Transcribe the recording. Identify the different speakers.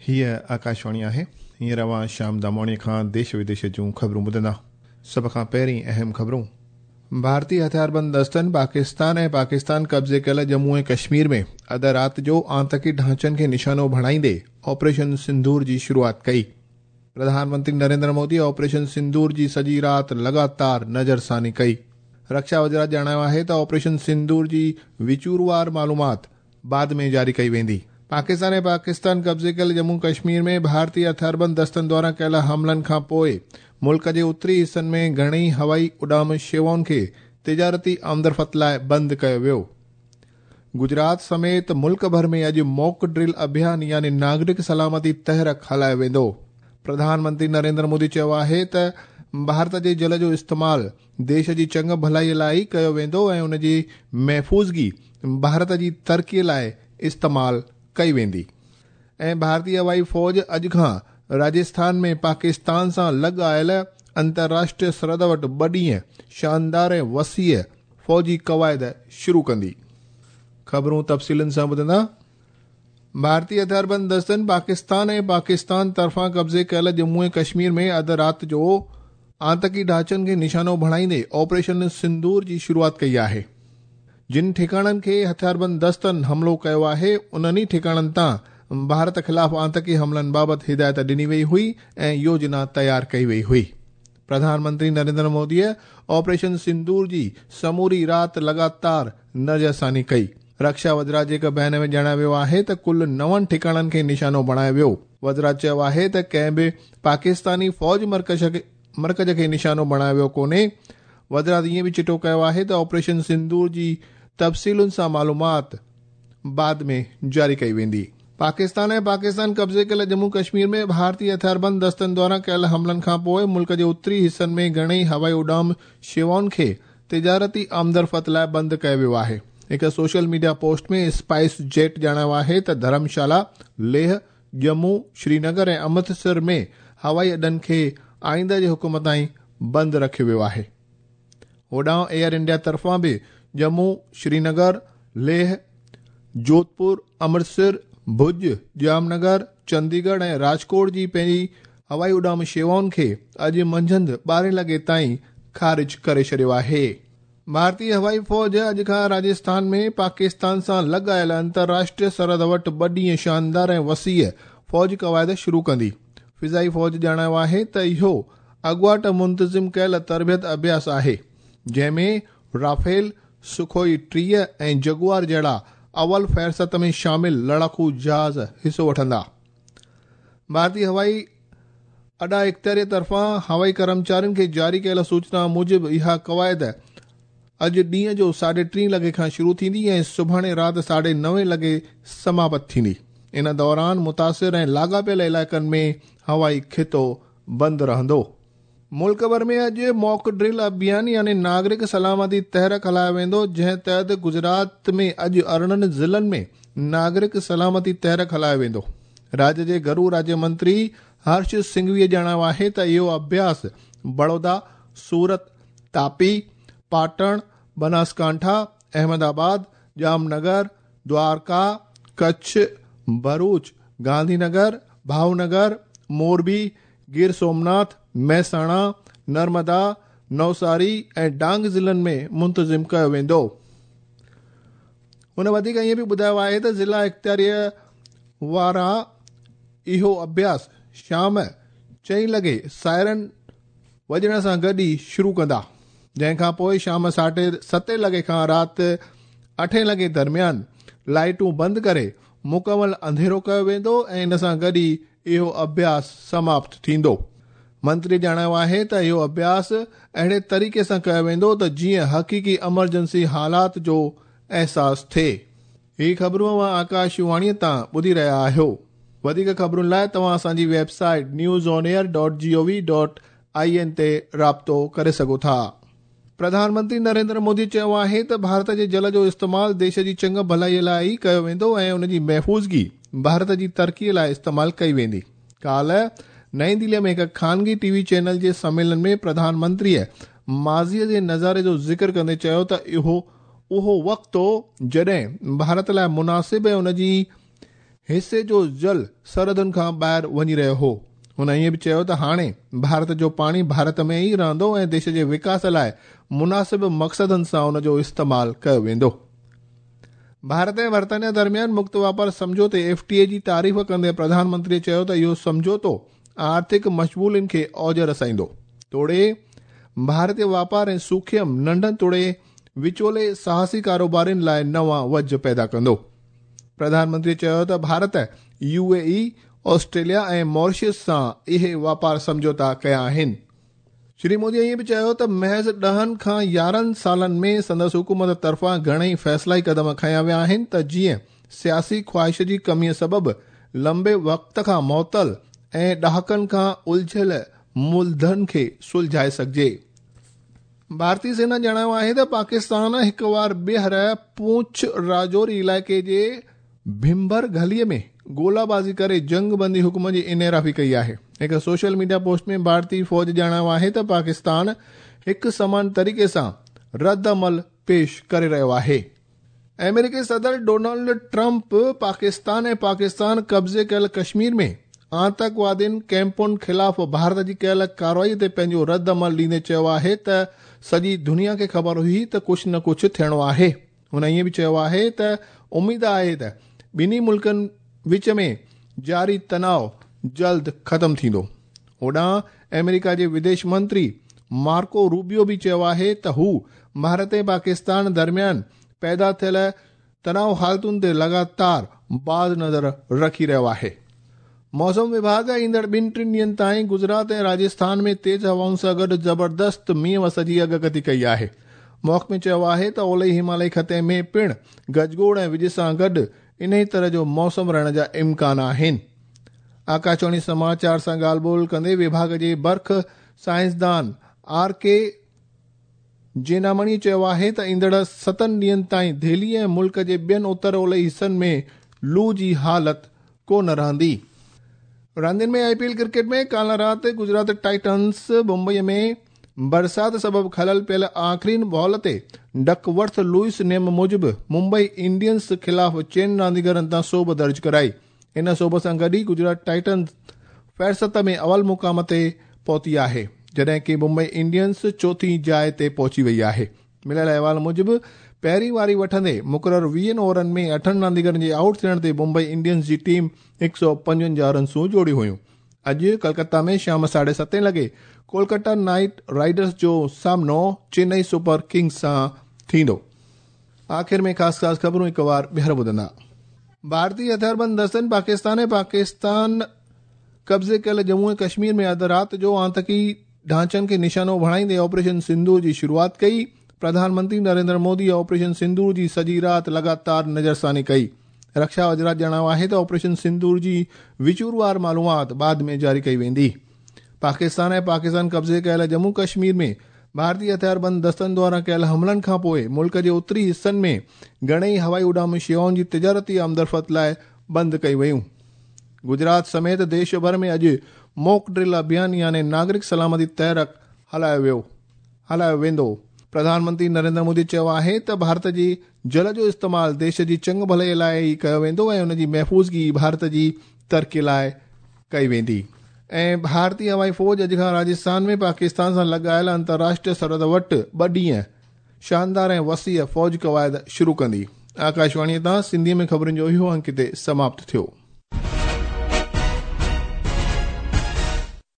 Speaker 1: هيء آڪاشواڻي آهي. هينئر اوهان شيام داماڻيء کان ديش وديش جون خبرون ٻڌندا. سڀ کان پهرين اهم خبرون. ڀارتي هٿياربند دستن پاڪستان ۽ پاڪستان قبضي ڪيل ڄمون ۽ ڪشمير ۾ اڌ رات جو آتنڪي ڍانچن کي نشانو بڻائيندي آپريشن سندور جي شروعات ڪئي. پرڌان منتري نريندر مودي آپريشن سندور جي سڄي رات لڳاتار نظرثاني ڪئي. رڪشا وزارت ڄاڻايو آهي ته آپريشن سندور جي وچوروار معلومات بعد ۾ جاري ڪئي ويندي. پاڪستان ۽ پاڪستان قبضي ڪيل ڄمون ڪشمير ۾ ڀارتي هٿياربند دستن دواران ڪيل حملن کان پوء ملڪ جي اتري حصن ۾ گهڻئي هوائي اڏام شيوائن کي تجارتي آمدرفت لاء بند ڪيو ويو. گجرات سميت ملڪ ڀر ۾ اڄ موڪ ڊرل اڀيان يعني ناگرڪ سلامتي تحرڪ هلايو ويندو. پرڌان منتري نريندر مودي چيو آهي ته ڀارت جي جل جو استعمال ديش جي چڱ ڀلائي لاء ئي ڪيو ويندو ۽ ان جي محفوظگي ڀارت جي ترقي لاء استعمال ڪئي ويندي. ۽ ڀارتي هوائي فوج اڄ کان راجسٿان ۾ پاڪستان سان لڳ آيل انترراشٽريه سرحد وٽ ٻه ڏينهن شاندار ۽ وسيع فوجي قواعد شروع ڪندي. خبرون تفصيلن سان ٻڌندا. ڀارتي هٿياربند دستن پاڪستان ۽ پاڪستان طرفان قبضي ڪيل ڄمون ۽ ڪشمير ۾ اڌ رات جو آتنڪي ڍانچن کي نشانو بڻائيندي آپريشن سندور جي شروعات ڪئي آهي. جن ٺڪاڻن کي هٿياربند دستن حملو ڪيو آهي انهن ئي ٺڪاڻن تان ڀارت خلاف آتنڪي حملن بابت هدايت ڏني وئي هئي ۽ يوجنا تيار ڪئي وئي هئي. پرڌان منتري نريندر موديء آپريشن سندور جي سموري رات لڳاتار نظرثاني ڪئي. رڪشا وزارت جي هڪ بيان ۾ ڄاڻايو ويو آهي ته ڪل نون ٺڪاڻن کي نشانو بڻايو ويو. وزارت چيو آهي ته ڪنهن به پاڪستاني فوج مرڪز کي نشانو بڻايو ويو ڪونهي. وزارت ائين به چٽو ڪيو آهي ته آپريشن سندور جي تفصيلن سان معلومات بعد ۾ جاري ڪئي ويندي. پاڪستان ۽ پاڪستان قبضي ڪيل ڄمون ڪشمير ۾ ڀارتي هٿياربند دستن دواران ڪيل حملن کانپوء ملڪ جي اتري حصن ۾ گهڻئي هوائي اڏام شيوائن کي تجارتي آمدرفت لاء بند ڪيو ويو آهي. هڪ social media post ۾ spice jet ڄاڻايو آهي ته ڌرمشالا، ليهه، ڄمون، شرينگر ۽ امرتسر ۾ هوائي اڏن کي آئنده جي حڪم تائين بند رکيو ويو آهي. هوڏانهن ايئر انڊيا طرفان به ڄمون، شرينگر، ليهه، جوڌپور، امرتسر، ڀڄ، ڄام نگر، چنديڳڙهه ۽ راجڪوٽ جي پنهنجي هوائي اڏام شيوائن کي اڄ منجهند ٻارهين لڳي تائين خارج ڪري ڇڏيو آهي. ڀارتي هوائي فوج اڄ کان راجسٿان ۾ پاڪستان سان لڳ آيل انترراشٽريه سرحد وٽ ٻه ڏينهن شاندار ۽ وسيع فوجي قواعد شروع ڪندي. فضائي فوج ڄاڻايو آهي ته اهو اڳواٽ منتظم ڪيل تربيت اڀياس آهي، جنهن ۾ رافيل، سخوئي 30 ۽ جگوار جهڙا اول فهرست ۾ شامل لڙاڪو جهاز حصو وٺندا. ڀارتي هوائي اڏا اختياري طرفان هوائي ڪرمچارين کي جاري ڪيل سوچنا موجب اها قواعد اڄ ڏينهن جو ساڍي ٽين لڳي کان شروع ٿيندي ۽ سڀاڻي رات ساڍي نوين لڳي سماپت ٿيندي. ان دوران متاثر ۽ لاڳاپيل علائقن ۾ هوائي خطو بند رهندو. ملڪ ڀر ۾ اڄ موڪ ڊرل اڀيان يعني ناگرڪ سلامتي تحرڪ هلايو ويندو، جنهن تحت گجرات ۾ اڄ 18 ضلعن ۾ ناگرڪ سلامتي تحرڪ هلايو ويندو. راڄ جي گهرو راجيه منتري هرش سنگهويء ڄاڻايو آهي ته اهو اڀياس بڙودا، سورت، تاپي، پاٽڻ، بناسڪانٺا، احمد آباد، ڄام نگر، دوارڪا، ڪڇ، ڀروچ، گانڌي نگر، ڀاونگر، موربي، گير سومناٿ، ميساڻا، نرمدا، نوساري ۽ ڊانگ ضلعن ۾ منتظم ڪيو ويندو. هن وڌيڪ ائين به ٻڌايو آهي ته ضلع اختياريء وارا اهو اڀياس شام چئين لڳي سائرن وڄڻ سان گڏ ئي شروع ڪندا، جنهن کان پوء شام ساڍي ستين لڳي کان رات اٺين لڳي درميان لائيٽون بند ڪري مڪمل انڌيرو ڪيو ويندو ۽ ان سان گڏ ئي اهو اڀياس سماپت ٿيندو. منتري ڄاڻايو آهي ته اهو اڀياس اهڙي طريقي سان ڪيو ويندو ته جيئن حقيقي ايمرجنسي حالات جو احساس ٿئي. هي خبرون اوهان آڪاش واڻيء تان ٻڌي رهيا آهيو. وڌيڪ خبرن لاء توهان اسان جي website news on air dot G O V dot I N تي رابطو ڪري سگهو ٿا. پرڌان منتري نريندر مودي چيو آهي ته ڀارت جي جل جو استعمال ديش جي چڱ ڀلائي لاء ئي ڪيو ويندو ۽ ان جي محفوظگي ڀارت جي ترقي لاء استعمال ڪئي ويندي. ڪالهه نئين دهلي ۾ هڪ خانگي ٽي وي چينل جي سميلن ۾ پرڌان منتريء ماضيء جي نظاري جو ذڪر ڪندي چيو ته اهو اهو وقت هو جڏهن ڀارت لاء مناسب ۽ ان جي حصي جو جل سرحدن کان ٻاهر وڃي رهيو هو. هن ائين به چيو ته هاڻي ڀارت جو پاڻي ڀارت ۾ ئي رهندو ۽ ديش جي وڪاس لاء مناسب مقصدن سان ان جو استعمال ڪيو ويندو. ڀارت ۽ برطانيا درميان مڪت واپار سمجهوتي، ايف ٽي اي، جي تعريف ڪندي پرڌان منتري چيو ته اهو سمجهوتو آرٿڪ مشغولين کي اوج رسائيندو توڙي ڀارتي واپار ۽ سوکيم، ننڍن توڙي وچولي ساهسي ڪاروبارين لاء نوان وجهه پيدا ڪندو. پرڌان منتري چيو ته Bharat U A E, Australia ۽ Mauritius سان اهي واپار سمجهوتا ڪيا آهن. شري مودي ائين به چيو ته محض ڏهن کان 11 سالن ۾ سندس حڪومت طرفان گهڻئي فيصلائي قدم کنيا ويا آهن ته جيئن سياسي خواهش جي ڪميء سبب لنبي وقت کان معطل ۽ ڏهاڪن کان الجهيل ملدن کي سلجهائي سگهجي. ڀارتي سينا ڄاڻايو آهي ته پاڪستان هڪ وار ٻيهر پونڇ راجوري علائقي جي ڀمبر گهلي ۾ گولا بازي ڪري جنگ بندي حڪم جي انحرافي ڪئي آهي. هڪ سوشل ميڊيا پوسٽ ۾ ڀارتي فوج ڄاڻايو آهي ته پاڪستان هڪ سمان طريقي سان رد عمل پيش ڪري رهيو آهي. آمريڪي صدر ڊونلڊ ٽرمپ پاڪستان ۽ پاڪستان قبضي ڪيل ڪشمير ۾ آتنڪوادين ڪيمپن خلاف ڀارت جي ڪيل ڪارروائي تي پنهنجو رد عمل ڏيندي چيو آهي ته سڄي دنيا کي خبر هئي ته ڪجهه نه ڪجهه ٿيڻو آهي. هن ائين به چيو آهي ته اميد آهي ته ٻنهي ملڪن وچ ۾ جاري تناء جلد ختم ٿيندو. هوڏانهن آمريڪا جي وديش منتري مارڪو روبيو به چيو آهي ته هو ڀارت ۽ پاڪستان درميان پيدا ٿيل تناء حالتن تي لڳاتار باز نظر رکي رهيو آهي. موسم وڀاڳ ايندڙ ٻن ٽن ڏينهن تائين گجرات ۽ راجسٿان ۾ تيز هوائن سان گڏ زبردست مينهن وس جي اڳڪٿي ڪئي آهي. محڪمي چيو آهي ته اولهي همالئي خطي ۾ پڻ گجگوڙ ۽ وڄ سان گڏ انهي طرح جو موسم رهڻ جا امڪان آهن. آڪاشواڻي سماچار سان ڳالهه ٻولهه ڪندي وڀاڳ جي برک سائنسدان آر ڪي جينامڻي چيو آهي ته ايندڙ ستن ڏينهن تائين دهلي ۽ ملڪ جي ٻين اتر اولهي حصن ۾ لو جي حالت ڪو نه رهندي. راندين ۾ آء پي ايل ڪرڪيٽ ۾ ڪالهه رات گجرات ٽائٽنز ممبئي ۾ برسات سبب خلل پيل آخرين بال تي ڊڪ ورٿ لوئس نيم موجب ممبئي انڊينز خلاف چئن رانديگرن تان سوڀ درج ڪرائي. ان سوڀ سان گڏ ئي گجرات ٽائٽنز فهرست ۾ اول مقام تي پهتي آهي، جڏهن ڪي ممبئي انڊينز چوٿين جاء تي پهچي وئي آهي. مليل احوال موجب پهرين واري وٺندي مقرر ويهن اوورن ۾ اٺن رانديگرن جي آئوٽ ٿيڻ تي ممبئي انڊينز جي ٽيم 155 رنسون جوڙيون هيون. اڄ ڪلڪتا ۾ شام ساڍي ستين لڳي ڪولڪتا نائيٽ رائيڊرز جو سامنو چينئي سپر ڪنگز سان ٿيندو. آخر ۾ خاص خاص خبرون هڪ وار ٻيهر ٻڌندا. ڀارتي هٿياربند دستن پاڪستان ۽ پاڪستان قبضي ڪيل ڄمون ۽ ڪشمير ۾ اڌ رات جو آتنڪي ڍانچن کي نشانو بڻائيندي آپريشن سندور جي شروعات ڪئي. پرڌان منتري نريندر مودي آپريشن سندور جي سڄي رات لڳاتار نظرثاني ڪئي. رڪشا وزارت ڄاڻايو آهي ته آپريشن سندور جي وچوروار معلومات بعد ۾ جاري ڪئي ويندي. پاڪستان ۽ پاڪستان قبضي ڪيل ڄمون ڪشمير ۾ ڀارتي هٿياربند دستن دواران ڪيل حملن کانپوء ملڪ جي اتري حصن ۾ گهڻئي هوائي اڏام شيوائن جي تجارتي آمدرفت لاء بند ڪئي ويون. گجرات سميت ديش ڀر ۾ اڄ موڪ ڊرل اڀيان يعني ناگرڪ سلامتي تحرڪ هلايو ويو. هلايو ويندو. پرڌان منتري نريندر مودي چيو آهي ته ڀارت جي جل جو استعمال ديش جي چڱ ڀلائي لاء ئي ڪيو ويندو ۽ ان جي محفوظگي ڀارت جي ترقي لاء ڪئي ويندي. ۽ ڀارتي هوائي فوج اڄ کان راجسٿان ۾ پاڪستان سان لڳايل انترراشٽريه سرحد وٽ ٻه ڏينهن شاندار ۽ وسيع فوج قواعد شروع ڪندي. آڪاشواڻي تان سنڌي ۾ خبرن جو اهو انڪ هتي سماپت ٿيو.